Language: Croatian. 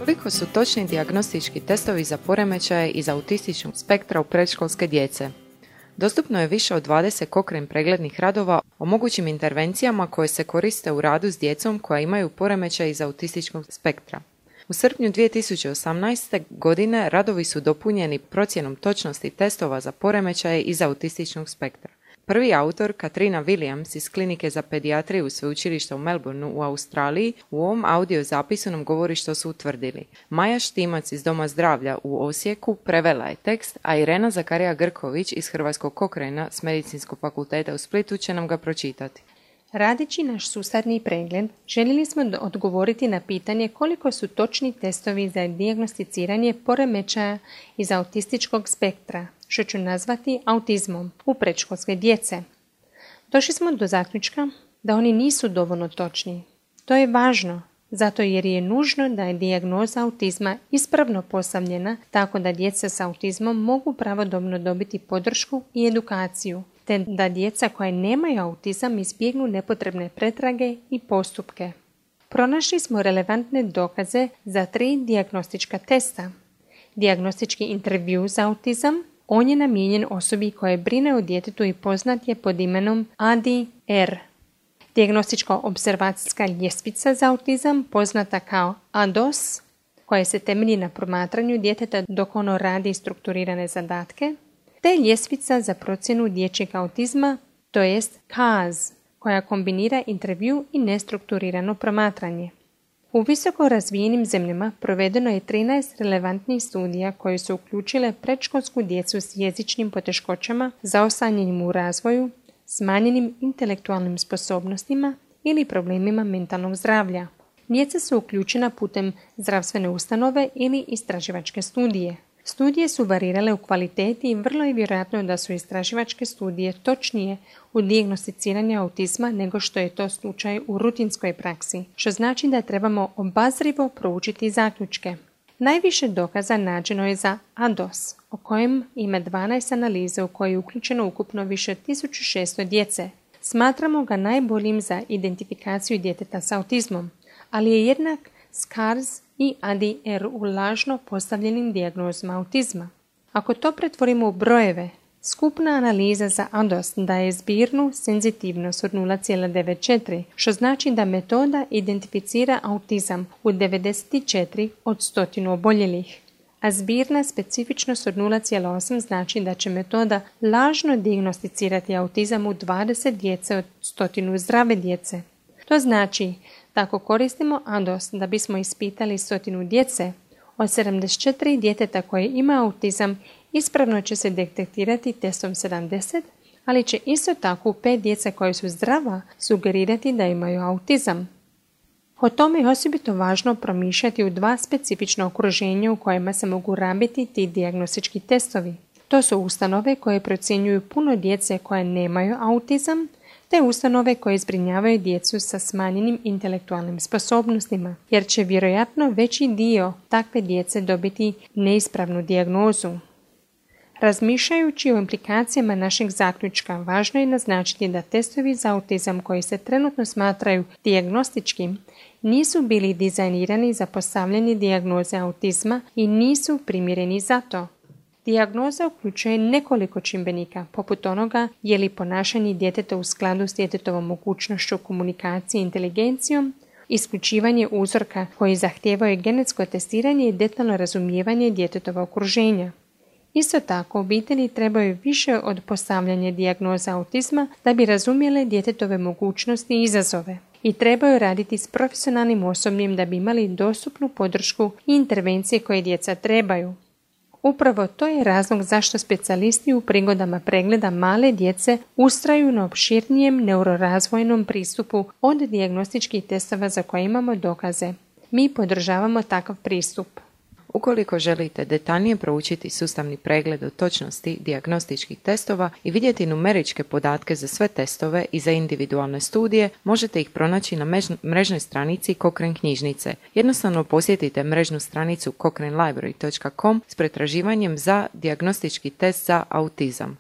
Koliko su točni dijagnostički testovi za poremećaje iz autističnog spektra u predškolske djece? Dostupno je više od 20 Cochrane preglednih radova o mogućim intervencijama koje se koriste u radu s djecom koja imaju poremećaj iz autističkog spektra. U srpnju 2018. godine radovi su dopunjeni procjenom točnosti testova za poremećaje iz autističnog spektra. Prvi autor, Katrina Williams iz Klinike za pedijatriju Sveučilišta u Melbourneu u Australiji, u ovom audio zapisu nam govori što su utvrdili. Maja Štimac iz Doma zdravlja u Osijeku prevela je tekst, a Irena Zakarija-Grković iz Hrvatskog Cochrana s Medicinskog fakulteta u Splitu će nam ga pročitati. Radeći naš sustavni pregled, željeli smo odgovoriti na pitanje koliko su točni testovi za dijagnosticiranje poremećaja iz autističkog spektra, što ću nazvati autizmom, u predškolske djece. Došli smo do zaključka da oni nisu dovoljno točni. To je važno, zato jer je nužno da je dijagnoza autizma ispravno postavljena tako da djeca s autizmom mogu pravodobno dobiti podršku i edukaciju, te da djeca koja nemaju autizam izbjegnu nepotrebne pretrage i postupke. Pronašli smo relevantne dokaze za 3 dijagnostička testa. Dijagnostički intervju za autizam, on je namijenjen osobi koja brine o djetetu i poznat je pod imenom ADR. Dijagnostičko-observacijska ljestvica za autizam, poznata kao ADOS, koja se temelji na promatranju djeteta dok ono radi strukturirane zadatke, te ljestvica za procjenu dječjeg autizma, to jest KAZ, koja kombinira intervju i nestrukturirano promatranje. U visoko razvijenim zemljama provedeno je 13 relevantnih studija koje su uključile predškolsku djecu s jezičnim poteškoćama, zaostanjenim u razvoju, smanjenim intelektualnim sposobnostima ili problemima mentalnog zdravlja. Djeca su uključena putem zdravstvene ustanove ili istraživačke studije. Studije su varirale u kvaliteti i vrlo je vjerojatno da su istraživačke studije točnije u dijagnosticiranju autizma nego što je to slučaj u rutinskoj praksi, što znači da trebamo obazrivo proučiti zaključke. Najviše dokaza nađeno je za ADOS, o kojem ima 12 analiza u koje je uključeno ukupno više od 1600 djece. Smatramo ga najboljim za identifikaciju djeteta s autizmom, ali je jednak s KARS i ADR u lažno postavljenim dijagnozama autizma. Ako to pretvorimo u brojeve, skupna analiza za ADOS daje zbirnu senzitivnost od 0,94, što znači da metoda identificira autizam u 94 od 100 oboljelih, a zbirna specifičnost od 0,8 znači da će metoda lažno dijagnosticirati autizam u 20 djece od 100 zdrave djece. To znači da ako koristimo ADOS da bismo ispitali 100 djece, od 74 djeteta koje ima autizam ispravno će se detektirati testom 70, ali će isto tako 5 djece koje su zdrava sugerirati da imaju autizam. O tome je osobito važno promišljati u 2 specifična okruženja u kojima se mogu rabiti ti dijagnostički testovi. To su ustanove koje procjenjuju puno djece koje nemaju autizam, te ustanove koje zbrinjavaju djecu sa smanjenim intelektualnim sposobnostima, jer će vjerojatno veći dio takve djece dobiti neispravnu dijagnozu. Razmišljajući o implikacijama našeg zaključka, važno je naznačiti da testovi za autizam koji se trenutno smatraju dijagnostičkim nisu bili dizajnirani za postavljanje dijagnoze autizma i nisu primjereni za to. Dijagnoza uključuje nekoliko čimbenika, poput onoga je li ponašanje djeteta u skladu s djetetovom mogućnošću komunikacije i inteligencijom, isključivanje uzorka koji zahtijevaju genetsko testiranje i detaljno razumijevanje djetetova okruženja. Isto tako, obitelji trebaju više od postavljanja dijagnoza autizma da bi razumjele djetetove mogućnosti i izazove i trebaju raditi s profesionalnim osobljem da bi imali dostupnu podršku i intervencije koje djeca trebaju. Upravo to je razlog zašto specijalisti u prigodama pregleda male djece ustraju na opširnijem neurorazvojnom pristupu od dijagnostičkih testova za koje imamo dokaze. Mi podržavamo takav pristup. Ukoliko želite detaljnije proučiti sustavni pregled o točnosti dijagnostičkih testova i vidjeti numeričke podatke za sve testove i za individualne studije, možete ih pronaći na mrežnoj stranici Cochrane knjižnice. Jednostavno posjetite mrežnu stranicu cochranelibrary.com s pretraživanjem za dijagnostički test za autizam.